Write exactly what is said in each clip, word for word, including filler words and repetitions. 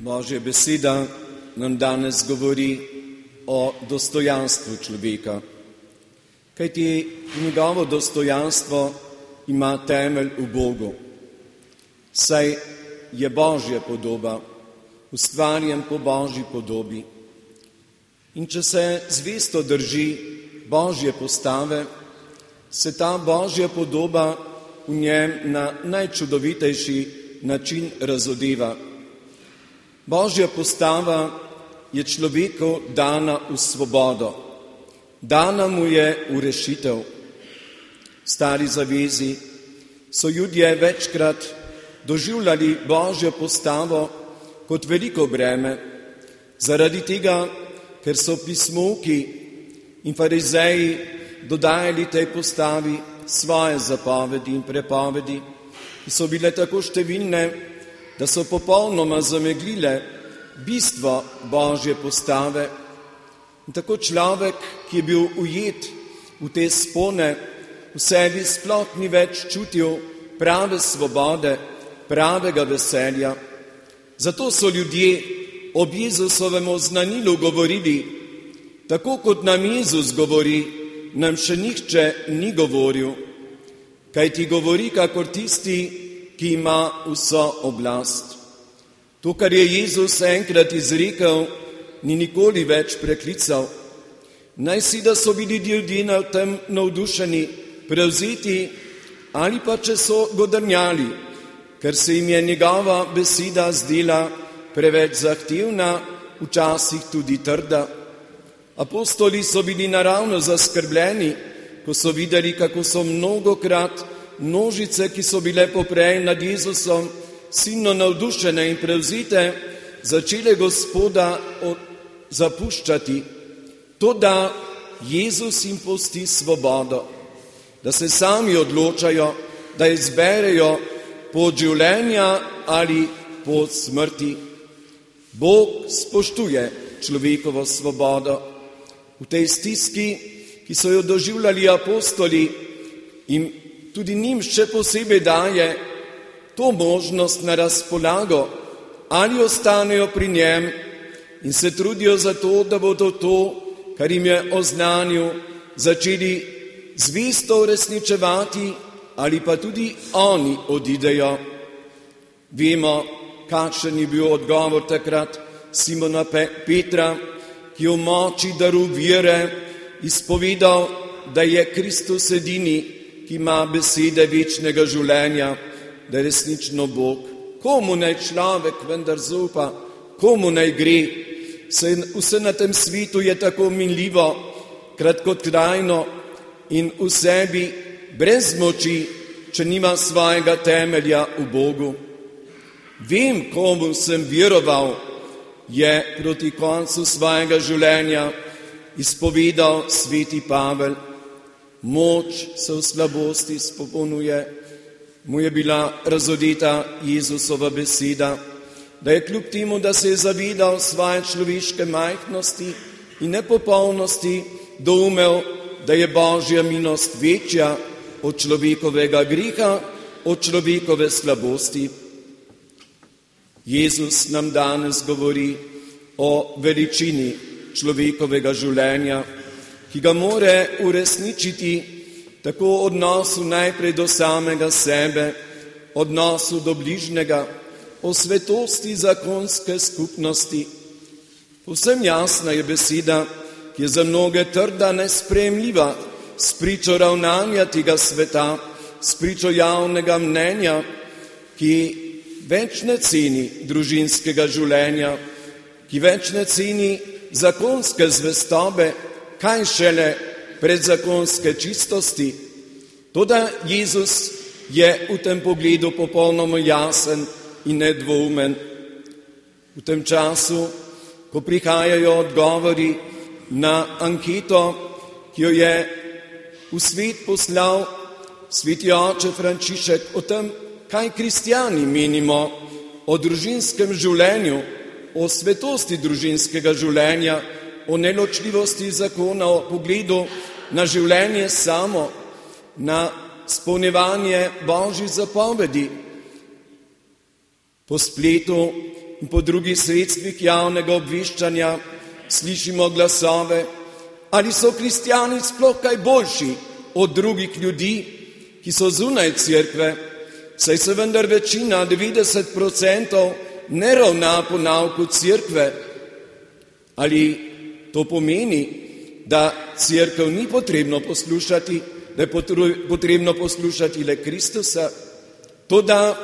Božja beseda nam danes govori o dostojanstvu človeka, kajti njegovo dostojanstvo ima temelj v Bogu, saj je Božja podoba, ustvarjen po Božji podobi. In če se zvesto drži Božje postave, se ta Božja podoba v njem na najčudovitejši način razodeva. Božja postava je človeku dana v svobodo, dana mu je v rešitev. V Stari zavezi so Judje večkrat doživljali Božjo postavo kot veliko breme, zaradi tega, ker so pismovki in farizeji dodajali tej postavi svoje zapovedi in prepovedi, ki so bile tako številne, da so popolnoma zameglile bistvo Božje postave. In tako človek, ki je bil ujet v te spone, v sebi sploh ni več čutil prave svobode, pravega veselja. Zato so ljudje ob Jezusovem oznanilu govorili, tako kot nam Jezus govori, nam še nihče ni govoril, kaj ti govori kakor tisti, ki ima vso oblast. To, kar je Jezus enkrat izrekel, ni nikoli več preklical. Naj si, da so bili ljudje na tem navdušeni, prevzeti, ali pa če so godrnjali, ker se jim je njegova beseda zdela preveč zahtevna, včasih tudi trda. Apostoli so bili naravno zaskrbljeni, ko so videli, kako so mnogokrat množice, ki so bile poprej nad Jezusom, silno navdušene in prevzite, začele Gospoda zapuščati. To, da Jezus jim pusti svobodo, da se sami odločajo, da izberejo pot življenja ali pot smrti. Bog spoštuje človekovo svobodo. V tej stiski, ki so jo doživljali apostoli, in tudi njim še posebej daje to možnost na razpolago, ali ostanejo pri njem in se trudijo za to, da bodo to, kar jim je oznanil, začeli zvesto uresničevati, ali pa tudi oni odidejo. Vemo, kakšen je bil odgovor takrat Simona Petra, ki je v moči daru vere izpovedal, da je Kristus edini, ki ima besede večnega življenja, da je resnično Bog. Komu naj človek vendar zaupa, komu naj gre? Vse na tem svetu je tako minljivo, kratkotrajno in v sebi brez moči, če nima svojega temelja v Bogu. Vem, komu sem veroval, je proti koncu svojega življenja izpovedal sveti Pavel. Moč se v slabosti spopolnjuje, mu je bila razodeta Jezusova beseda, da je kljub temu, da se je zavedal svoje človeške majhnosti in nepopolnosti, doumel, da je Božja milost večja od človekovega greha, od človekove slabosti. Jezus nam danes govori o veličini človekovega življenja, ki ga more uresničiti tako v odnosu najprej do samega sebe, odnosu do bližnjega, o svetosti zakonske skupnosti. Povsem jasna je beseda, ki je za mnoge trda, nesprejemljiva, spričo ravnanja tega sveta, spričo javnega mnenja, ki več ne ceni družinskega življenja, ki več ne ceni zakonske zvestobe, kaj šele predzakonske čistosti. Toda Jezus je v tem pogledu popolnoma jasen in nedvoumen. V tem času, ko prihajajo odgovori na anketo, ki jo je v svet poslal sveti oče Frančišek o tem, kaj kristjani menimo o družinskem življenju, o svetosti družinskega življenja, o neločljivosti zakona, o pogledu na življenje samo, na spolnjevanje Božjih zapovedi. Po spletu in po drugih sredstvih javnega obveščanja slišimo glasove, ali so kristjani sploh kaj boljši od drugih ljudi, ki so zunaj cerkve, saj se vendar večina, devetdeset procentov, ne ravna po nauku cerkve. Ali to pomeni, da cerkev ni potrebno poslušati, da je potrebno poslušati le Kristusa? Toda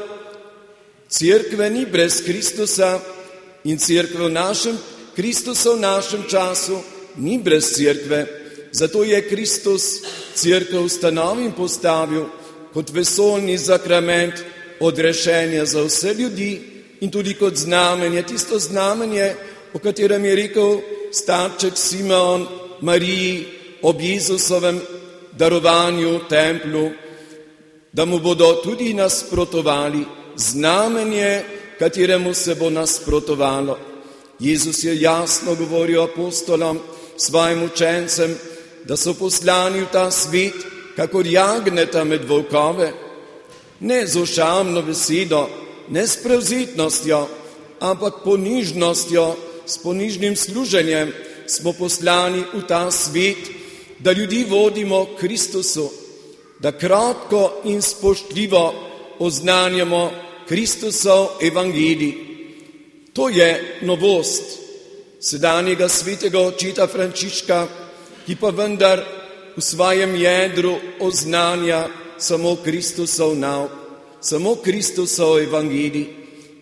cerkve ni brez Kristusa in cerkve v našem, Kristusa v našem času ni brez cerkve. Zato je Kristus cerkev ustanovil in postavil kot vesoljni sakrament odrešenja za vse ljudi in tudi kot znamenje, tisto znamenje, o katerem je rekel starček Simeon Mariji ob Jezusovem darovanju v templu, da mu bodo tudi nasprotovali, znamenje, kateremu se bo nasprotovalo. Jezus je jasno govoril apostolom, svojim učencem, da so poslani v ta svet, kakor jagneta med volkove, ne z ošamno besedo, ne s prevzetnostjo, ampak ponižnostjo, s ponižnim služenjem smo poslani v ta svet, da ljudi vodimo k Kristusu, da kratko in spoštljivo oznanjamo Kristusov evangelij. To je novost sedanjega svetega očeta Frančiška, ki pa vendar v svojem jedru oznanja samo Kristusov nauk, samo Kristusov evangelij.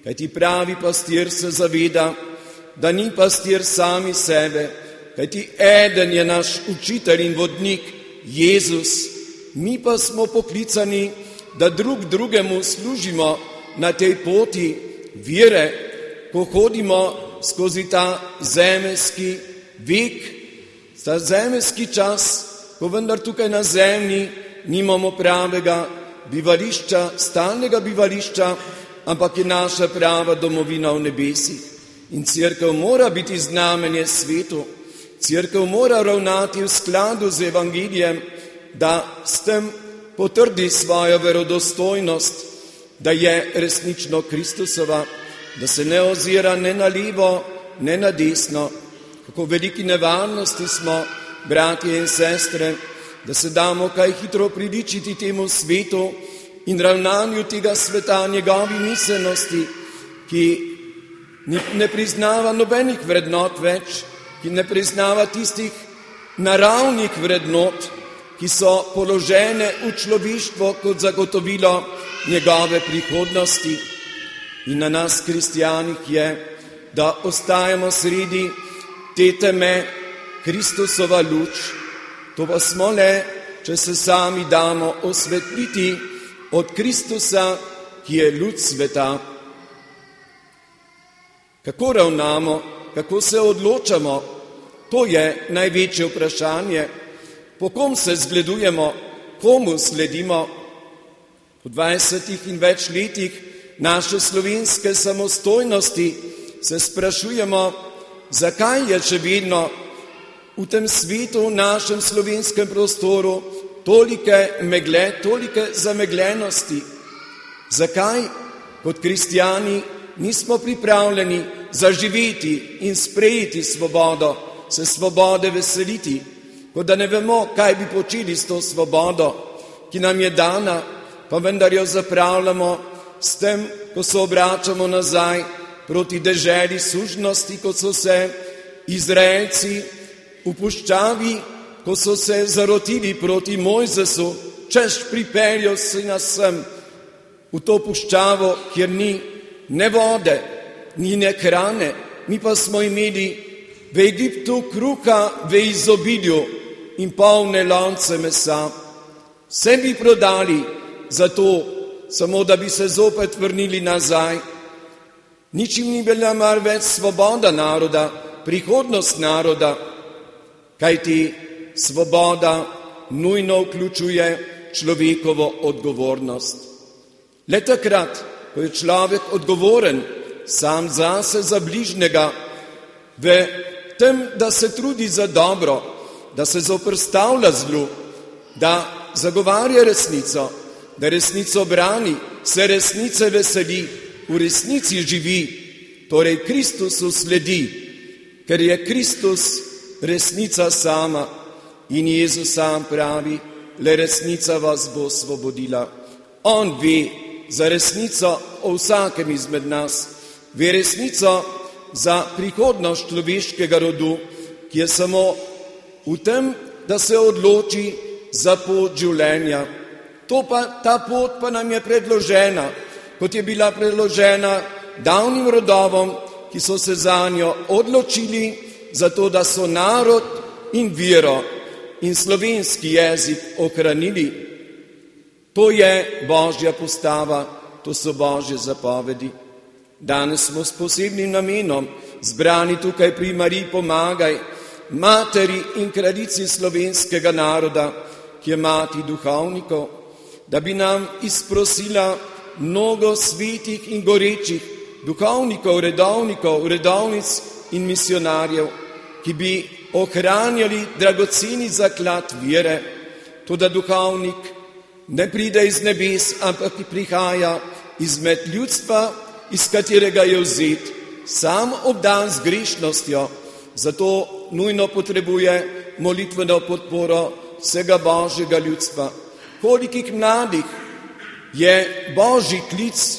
Kajti pravi pastir se zaveda, da ni pastir sami sebe, kajti eden je naš učitelj in vodnik, Jezus. Mi pa smo poklicani, da drug drugemu služimo na tej poti vere, ko hodimo skozi ta zemeljski vek, ta zemeljski čas, ko vendar tukaj na zemlji nimamo pravega bivališča, stalnega bivališča, ampak je naša prava domovina v nebesih. In cerkev mora biti znamenje svetu, cerkev mora ravnati v skladu z evangelijem, da s tem potrdi svojo verodostojnost, da je resnično Kristusova, da se ne ozira ne na levo, ne na desno. Kako veliki nevarnosti smo, bratje in sestre, da se damo kaj hitro priličiti temu svetu in ravnanju tega sveta, njegovi miselnosti, ki ne priznava nobenih vrednot več, ki ne priznava tistih naravnih vrednot, ki so položene v človeštvo kot zagotovilo njegove prihodnosti. In na nas, kristijanih, je, da ostajamo sredi te teme Kristusova luč. To pa smo le, če se sami damo osvetliti od Kristusa, ki je luč sveta. Kako ravnamo, kako se odločamo, to je največje vprašanje. Po kom se zgledujemo, komu sledimo? Po dvajsetih in več letih naše slovenske samostojnosti se sprašujemo, zakaj je še vedno v tem svetu, v našem slovenskem prostoru, tolike megle, tolike zamegljenosti. Zakaj kot kristijani nismo pripravljeni zaživeti in sprejeti svobodo, se svobode veseliti, kot da ne vemo, kaj bi počeli s to svobodo, ki nam je dana, pa vendar jo zapravljamo s tem, ko se obračamo nazaj proti deželi sužnosti, kot so se Izraelci v puščavi, ko so se zarotili proti Mojzesu, češ pripeljal si nas sem v to puščavo, kjer ni ne vode, ni ne hrane, mi pa smo imeli v Egiptu kruha v izobilju in polne lonce mesa. Vse bi prodali za to, samo da bi se zopet vrnili nazaj. Ničim ni bila mar več svoboda naroda, prihodnost naroda, kajti svoboda nujno vključuje človekovo odgovornost. Le takrat, ko je človek odgovoren sam zase, za bližnjega, v tem, da se trudi za dobro, da se zoperstavlja zlu, da zagovarja resnico, da resnico brani, se resnice veseli, v resnici živi, torej Kristusu sledi, ker je Kristus resnica sama in Jezus sam pravi, le resnica vas bo osvobodila. On ve za resnico o vsakem izmed nas, ve resnico za prihodnost človeškega rodu, ki je samo v tem, da se odloči za pot življenja. To pa, ta pot pa nam je predložena, kot je bila predložena davnim rodovom, ki so se zanjo odločili, zato da so narod in vero in slovenski jezik ohranili. To je Božja postava, to so Božje zapovedi. Danes smo s posebnim namenom zbrani tukaj pri Mariji Pomagaj, materi in kraljici slovenskega naroda, ki je mati duhovnikov, da bi nam izprosila mnogo svetih in gorečih duhovnikov, redovnikov, redovnic in misionarjev, ki bi ohranjali dragoceni zaklad vere, toda duhovnik ne pride iz nebes, ampak prihaja izmed ljudstva, iz katerega je vzet, sam obdan z grešnostjo, zato nujno potrebuje molitveno podporo vsega Božjega ljudstva. Kolikih mladih je Božji klic,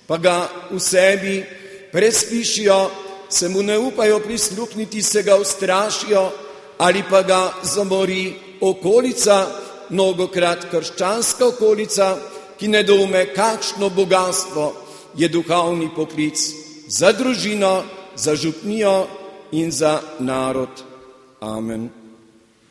pa ga v sebi prespišijo, se mu ne upajo prisluhniti, se ga ustrašijo ali pa ga zamori okolica, mnogokrat krščanska okolica, ki ne doume, kakšno bogatstvo je duhovni poklic za družino, za župnijo in za narod. Amen.